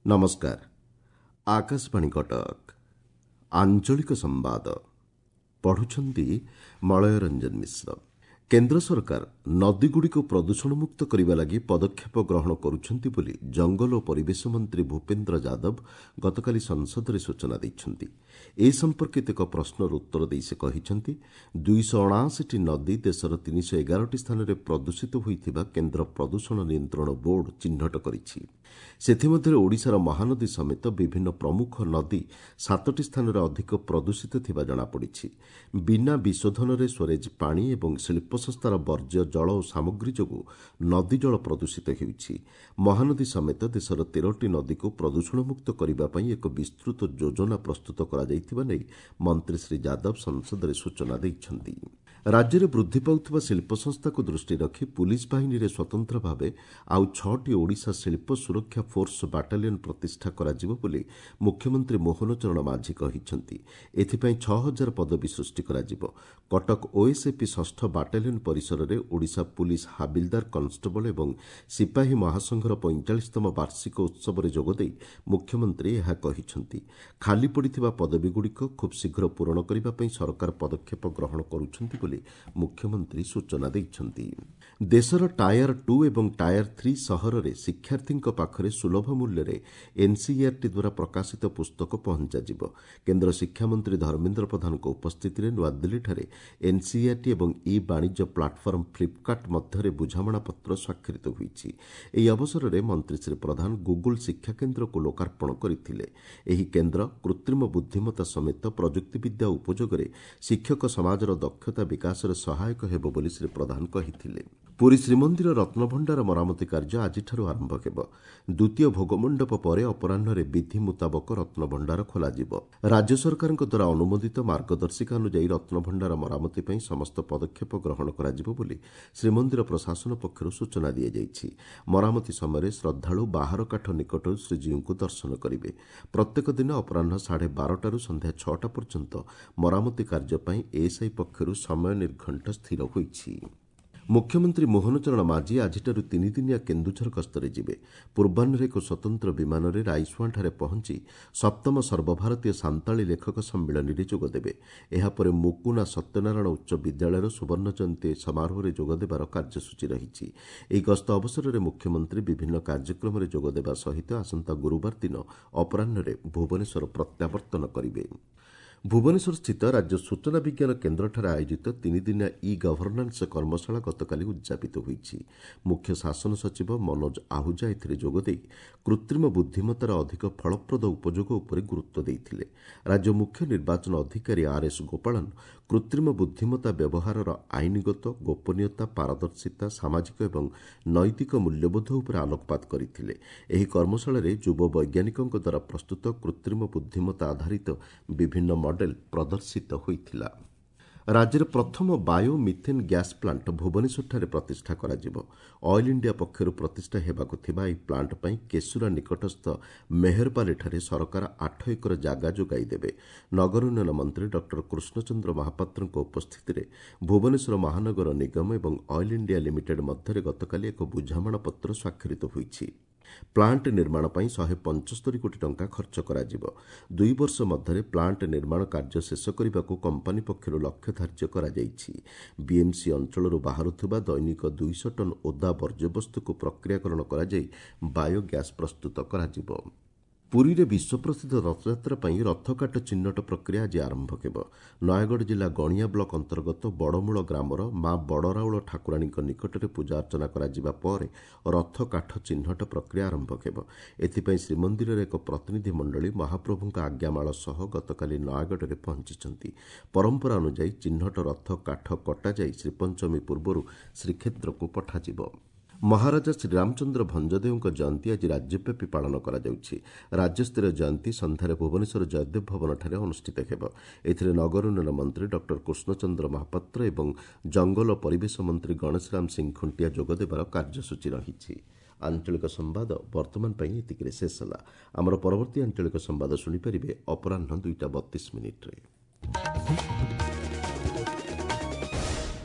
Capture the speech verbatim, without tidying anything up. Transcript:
ନମସ୍କାର ଆକାଶବାଣୀ କଟକ ଆଞ୍ଚଳିକ ସମ୍ବାଦ ପଢୁଛନ୍ତି ମଳୟ ରଞ୍ଜନ ମିଶ୍ର କେନ୍ଦ୍ର ସରକାର ନଦୀଗୁଡ଼ିକୁ ପ୍ରଦୂଷଣମୁକ୍ତ କରିବା ଲାଗି ପଦକ୍ଷେପ ଗ୍ରହଣ କରୁଛନ୍ତି ବୋଲି ଜଙ୍ଗଲ ଓ ପରିବେଶ ମନ୍ତ୍ରୀ ଭୂପେନ୍ଦ୍ର ଯାଦବ ଗତକାଲି ସଂସଦରେ ସୂଚନା ଦେଇଛନ୍ତି ଏ ସମ୍ପର୍କିତ ଏକ ପ୍ରଶ୍ନର ଉତ୍ତର ଦେଇ ସେ କହିଛନ୍ତି ଦୁଇଶହ ଅଣାଅଶୀଟି ନଦୀ ଦେଶର ତିନିଶହ ଏଗାରଟି ସ୍ଥାନରେ ପ୍ରଦୂଷିତ ହୋଇଥିବା କେନ୍ଦ୍ର ପ୍ରଦୂଷଣ ନିୟନ୍ତ୍ରଣ ବୋର୍ଡ ଚିହ୍ନଟ କରିଛି ସେଥିମଧ୍ୟରେ ଓଡ଼ିଶାର ମହାନଦୀ ସମେତ ବିଭିନ୍ନ ପ୍ରମୁଖ ନଦୀ ସାତଟି ସ୍ଥାନରେ ଅଧିକ ପ୍ରଦୂଷିତ ଥିବା ଜଣାପଡ଼ିଛି ବିନା ବିଶୋଧନରେ ସ୍ୱରେଜ ପାଣି ଏବଂ ଶିଳ୍ପ ସଂସ୍ଥାର ବର୍ଜ୍ୟ ଜଳ ଓ ସାମଗ୍ରୀ ଯୋଗୁଁ ନଦୀ ଜଳ ପ୍ରଦୂଷିତ ହେଉଛି ମହାନଦୀ ସମେତ ଦେଶର ତେରଟି ନଦୀକୁ ପ୍ରଦୂଷଣମୁକ୍ତ କରିବା ପାଇଁ ଏକ ବିସ୍ତୃତ ଯୋଜନା ପ୍ରସ୍ତୁତ କରାଯାଇଥିବା ନେଇ ମନ୍ତ୍ରୀ ଶ୍ରୀ ଯାଦବ ସଂସଦରେ ସୂଚନା ଦେଇଛନ୍ତି ରାଜ୍ୟରେ ବୃଦ୍ଧି ପାଉଥିବା ଶିଳ୍ପ ସଂସ୍ଥାକୁ ଦୃଷ୍ଟିରେ ରଖି ପୁଲିସ୍ ବାହିନୀରେ ସ୍ୱତନ୍ତ୍ର ଭାବେ ଆଉ ଛଅଟି ଓଡ଼ିଶା ଶିଳ୍ପ ସୁରକ୍ଷା ଫୋର୍ସ ବାଟାଲିୟନ୍ ପ୍ରତିଷ୍ଠା କରାଯିବ ବୋଲି ମୁଖ୍ୟମନ୍ତ୍ରୀ ମୋହନ ଚରଣ ମାଝୀ କହିଛନ୍ତି ଏଥିପାଇଁ ଛଅ ହଜାର ପଦବୀ ସୃଷ୍ଟି କରାଯିବ କଟକ ଓଏସ୍ଏପି ଷଷ୍ଠ ବାଟାଲିୟନ୍ ପରିସରରେ ଓଡ଼ିଶା ପୁଲିସ୍ ହାବିଲଦାର କନଷ୍ଟେବଳ ଏବଂ ସିପାହୀ ମହାସଂଘର ପଇଁଚାଳିଶତମ ବାର୍ଷିକ ଉତ୍ସବରେ ଯୋଗଦେଇ ମୁଖ୍ୟମନ୍ତ୍ରୀ ଏହା କହିଛନ୍ତି ଖାଲି ପଡ଼ିଥିବା ପଦବୀଗୁଡ଼ିକ ଖୁବ୍ ଶୀଘ୍ର ପୂରଣ କରିବା ପାଇଁ ସରକାର ପଦକ୍ଷେପ ଗ୍ରହଣ କରୁଛନ୍ତି ବୋଲି ମୁଖ୍ୟମନ୍ତ୍ରୀ ସୂଚନା ଦେଇଛନ୍ତି ଦେଶର ଟାୟାର ଟୁ ଏବଂ ଟାୟାର ଥ୍ରୀ ସହରରେ ଶିକ୍ଷାର୍ଥୀଙ୍କ ପାଖରେ ସୁଲଭ ମୂଲ୍ୟରେ ଏନ୍ସିଇଆର୍ଟି ଦ୍ୱାରା ପ୍ରକାଶିତ ପୁସ୍ତକ ପହଞ୍ଚାଯିବ କେନ୍ଦ୍ର ଶିକ୍ଷାମନ୍ତ୍ରୀ ଧର୍ମେନ୍ଦ୍ର ପ୍ରଧାନଙ୍କ ଉପସ୍ଥିତିରେ ନୂଆଦିଲ୍ଲୀଠାରେ ଏନ୍ସିଇଆର୍ଟି ଏବଂ ଇ ବାଣିଜ୍ୟ ପ୍ଲାଟଫର୍ମ ଫ୍ଲିପ୍କାର୍ଟ ମଧ୍ୟରେ ବୁଝାମଣାପତ୍ର ସ୍ୱାକ୍ଷରିତ ହୋଇଛି ଏହି ଅବସରରେ ମନ୍ତ୍ରୀ ଶ୍ରୀ ପ୍ରଧାନ ଗୁଗୁଲ୍ ଶିକ୍ଷାକେନ୍ଦ୍ରକୁ ଲୋକାର୍ପଣ କରିଥିଲେ ଏହି କେନ୍ଦ୍ର କୃତ୍ରିମ ବୁଦ୍ଧିମତ୍ତା ସମେତ ପ୍ରଯୁକ୍ତିବିଦ୍ୟା ଉପଯୋଗରେ ଶିକ୍ଷକ ସମାଜର ଦକ୍ଷତା ବିକାଶରେ ସହାୟକ ହେବ ବୋଲି ଶ୍ରୀ ପ୍ରଧାନ କହିଥିଲେ ପୁରୀ ଶ୍ରୀମନ୍ଦିର ରତ୍ନଭଣ୍ଡାର ମରାମତି କାର୍ଯ୍ୟ ଆଜିଠାରୁ ଆରମ୍ଭ ହେବ ଦ୍ୱିତୀୟ ଭୋଗମଣ୍ଡପ ପରେ ଅପରାହ୍ନରେ ବିଧି ମୁତାବକ ରତ୍ନଭଣ୍ଡାର ଖୋଲାଯିବ ରାଜ୍ୟ ସରକାରଙ୍କ ଦ୍ୱାରା ଅନୁମୋଦିତ ମାର୍ଗଦର୍ଶିକା ଅନୁଯାୟୀ ରତ୍ନଭଣ୍ଡାର ମରାମତି ପାଇଁ ସମସ୍ତ ପଦକ୍ଷେପ ଗ୍ରହଣ କରାଯିବ ବୋଲି ଶ୍ରୀମନ୍ଦିର ପ୍ରଶାସନ ପକ୍ଷରୁ ସୂଚନା ଦିଆଯାଇଛି ମରାମତି ସମୟରେ ଶ୍ରଦ୍ଧାଳୁ ବାହାର କାଠ ନିକଟରୁ ଶ୍ରୀଜୀଉଙ୍କୁ ଦର୍ଶନ କରିବେ ପ୍ରତ୍ୟେକ ଦିନ ଅପରାହ୍ନ ସାଢ଼େ ବାରଟାରୁ ସନ୍ଧ୍ୟା ଛଅଟା ପର୍ଯ୍ୟନ୍ତ ମରାମତି କାର୍ଯ୍ୟ ପାଇଁ ଏଏସ୍ଆଇ ପକ୍ଷରୁ ସମୟ ନିର୍ଘଣ୍ଟ ସ୍ଥିର ହୋଇଛି ମୁଖ୍ୟମନ୍ତ୍ରୀ ମୋହନ ଚରଣ ମାଝୀ ଆଜିଠାରୁ ତିନିଦିନିଆ କେନ୍ଦୁଝର ଗସ୍ତରେ ଯିବେ ପୂର୍ବାହ୍ନରେ ଏକ ସ୍ୱତନ୍ତ୍ର ବିମାନରେ ରାଇସୁଆଁଠାରେ ପହଞ୍ଚି ସପ୍ତମ ସର୍ବଭାରତୀୟ ସାନ୍ତାଳୀ ଲେଖକ ସମ୍ମିଳନୀରେ ଯୋଗଦେବେ ଏହାପରେ ମୁକୁନା ସତ୍ୟନାରାୟଣ ଉଚ୍ଚ ବିଦ୍ୟାଳୟର ସୁବର୍ଣ୍ଣ ଜୟନ୍ତୀ ସମାରୋହରେ ଯୋଗଦେବାର କାର୍ଯ୍ୟସୂଚୀ ରହିଛି ଏହି ଗସ୍ତ ଅବସରରେ ମୁଖ୍ୟମନ୍ତ୍ରୀ ବିଭିନ୍ନ କାର୍ଯ୍ୟକ୍ରମରେ ଯୋଗଦେବା ସହିତ ଆସନ୍ତା ଗୁରୁବାର ଦିନ ଅପରାହ୍ନରେ ଭୁବନେଶ୍ୱର ପ୍ରତ୍ୟାବର୍ତ୍ତନ କରିବେ ଭୁବନେଶ୍ୱରସ୍ଥିତ ରାଜ୍ୟ ସୂଚନା ବିଜ୍ଞାନ କେନ୍ଦ୍ରଠାରେ ଆୟୋଜିତ ତିନିଦିନିଆ ଇ ଗଭର୍ଣ୍ଣାନ୍ସ କର୍ମଶାଳା ଗତକାଲି ଉଦ୍ଯାପିତ ହୋଇଛି ମୁଖ୍ୟ ଶାସନ ସଚିବ ମନୋଜ ଆହୁଜା ଏଥିରେ ଯୋଗଦେଇ କୃତ୍ରିମ ବୁଦ୍ଧିମତ୍ତାର ଅଧିକ ଫଳପ୍ରଦ ଉପଯୋଗ ଉପରେ ଗୁରୁତ୍ୱ ଦେଇଥିଲେ ରାଜ୍ୟ ମୁଖ୍ୟ ନିର୍ବାଚନ ଅଧିକାରୀ ଆର୍ ଏସ୍ ଗୋପାଳନ କୃତ୍ରିମ ବୁଦ୍ଧିମତ୍ତା ବ୍ୟବହାରର ଆଇନଗତ ଗୋପନୀୟତା ପାରଦର୍ଶିତା ସାମାଜିକ ଏବଂ ନୈତିକ ମୂଲ୍ୟବୋଧ ଉପରେ ଆଲୋକପାତ କରିଥିଲେ ଏହି କର୍ମଶାଳାରେ ଯୁବ ବୈଜ୍ଞାନିକଙ୍କ ଦ୍ୱାରା ପ୍ରସ୍ତୁତ କୃତ୍ରିମ ବୁଦ୍ଧିମତ୍ତା ଆଧାରିତ ବିଭିନ୍ନ ମଡେଲ ପ୍ରଦର୍ଶିତ ହୋଇଥିଲା ରାଜ୍ୟରେ ପ୍ରଥମ ବାୟୋ ମିଥେନ୍ ଗ୍ୟାସ୍ ପ୍ଲାଣ୍ଟ ଭୁବନେଶ୍ୱରଠାରେ ପ୍ରତିଷ୍ଠା କରାଯିବ ଅଏଲ୍ ଇଣ୍ଡିଆ ପକ୍ଷରୁ ପ୍ରତିଷ୍ଠା ହେବାକୁ ଥିବା ଏହି ପ୍ଲାଣ୍ଟ ପାଇଁ କେଶୁରା ନିକଟସ୍ଥ ମେହେରପାଲିଠାରେ ସରକାର ଆଠ ଏକର ଜାଗା ଯୋଗାଇ ଦେବେ ନଗର ଉନ୍ନୟନ ମନ୍ତ୍ରୀ ଡକ୍ଟର କୃଷ୍ଣଚନ୍ଦ୍ର ମହାପାତ୍ରଙ୍କ ଉପସ୍ଥିତିରେ ଭୁବନେଶ୍ୱର ମହାନଗର ନିଗମ ଏବଂ ଅଏଲ୍ ଇଣ୍ଡିଆ ଲିମିଟେଡ୍ ମଧ୍ୟରେ ଗତକାଲି ଏକ ବୁଝାମଣାପତ୍ର ସ୍ୱାକ୍ଷରିତ ହୋଇଛି ପ୍ଲାଣ୍ଟ ନିର୍ମାଣ ପାଇଁ ଶହେ ପଞ୍ଚସ୍ତରୀ କୋଟି ଟଙ୍କା ଖର୍ଚ୍ଚ କରାଯିବ ଦୁଇ ବର୍ଷ ମଧ୍ୟରେ ପ୍ଲାଣ୍ଟ ନିର୍ମାଣ କାର୍ଯ୍ୟ ଶେଷ କରିବାକୁ କମ୍ପାନୀ ପକ୍ଷରୁ ଲକ୍ଷ୍ୟ ଧାର୍ଯ୍ୟ କରାଯାଇଛି ବିଏମ୍ସି ଅଞ୍ଚଳରୁ ବାହାରୁଥିବା ଦୈନିକ ଦୁଇଶହ ଟନ୍ ଓଦା ବର୍ଜ୍ୟବସ୍ତୁକୁ ପ୍ରକ୍ରିୟାକରଣ କରାଯାଇ ବାୟୋଗ୍ୟାସ୍ ପ୍ରସ୍ତୁତ କରାଯିବ ପୁରୀରେ ବିଶ୍ୱପ୍ରସିଦ୍ଧ ରଥଯାତ୍ରା ପାଇଁ ରଥକାଠ ଚିହ୍ନଟ ପ୍ରକ୍ରିୟା ଆଜି ଆରମ୍ଭ ହେବ ନୟାଗଡ଼ ଜିଲ୍ଲା ଗଣିଆ ବ୍ଲକ ଅନ୍ତର୍ଗତ ବଡ଼ମୂଳ ଗ୍ରାମର ମା ବଡ଼ରାଉଳ ଠାକୁରାଣୀଙ୍କ ନିକଟରେ ପୂଜା ଅର୍ଚ୍ଚନା କରାଯିବା ପରେ ରଥକାଠ ଚିହ୍ନଟ ପ୍ରକ୍ରିୟା ଆରମ୍ଭ ହେବ ଏଥିପାଇଁ ଶ୍ରୀମନ୍ଦିରର ଏକ ପ୍ରତିନିଧି ମଣ୍ଡଳୀ ମହାପ୍ରଭୁଙ୍କ ଆଜ୍ଞାମାଳ ସହ ଗତକାଲି ନୟାଗଡ଼ରେ ପହଞ୍ଚିଛନ୍ତି ପରମ୍ପରା ଅନୁଯାୟୀ ଚିହ୍ନଟ ରଥ କାଠ କଟାଯାଇ ଶ୍ରୀପଞ୍ଚମୀ ପୂର୍ବରୁ ଶ୍ରୀକ୍ଷେତ୍ରକୁ ପଠାଯିବ ମହାରାଜା ଶ୍ରୀରାମଚନ୍ଦ୍ର ଭଞ୍ଜଦେଓଙ୍କ ଜୟନ୍ତୀ ଆଜି ରାଜ୍ୟବ୍ୟାପୀ ପାଳନ କରାଯାଉଛି ରାଜ୍ୟସ୍ତରୀୟ ଜୟନ୍ତୀ ସନ୍ଧ୍ୟାରେ ଭୁବନେଶ୍ୱର ଜୟଦେବ ଭବନଠାରେ ଅନୁଷ୍ଠିତ ହେବ ଏଥିରେ ନଗର ଉନ୍ନୟନ ମନ୍ତ୍ରୀ ଡକ୍ଟର କୃଷ୍ଣଚନ୍ଦ୍ର ମହାପାତ୍ର ଏବଂ ଜଙ୍ଗଲ ଓ ପରିବେଶ ମନ୍ତ୍ରୀ ଗଣେଶରାମ ସିଂ ଖୁଣ୍ଟିଆ ଯୋଗଦେବାର କାର୍ଯ୍ୟସୂଚୀ ରହିଛି ଆଞ୍ଚଳିକ ସମ୍ବାଦ ବର୍ତ୍ତମାନ ପାଇଁ ଏତିକିରେ ଶେଷ ହେଲା ଆମର ପରବର୍ତ୍ତୀ ଆଞ୍ଚଳିକ ସମ୍ବାଦ ଶୁଣିପାରିବେ ଅପରାହ୍ନ ଦୁଇଟା ବତିଶ ମିନିଟ୍ରେ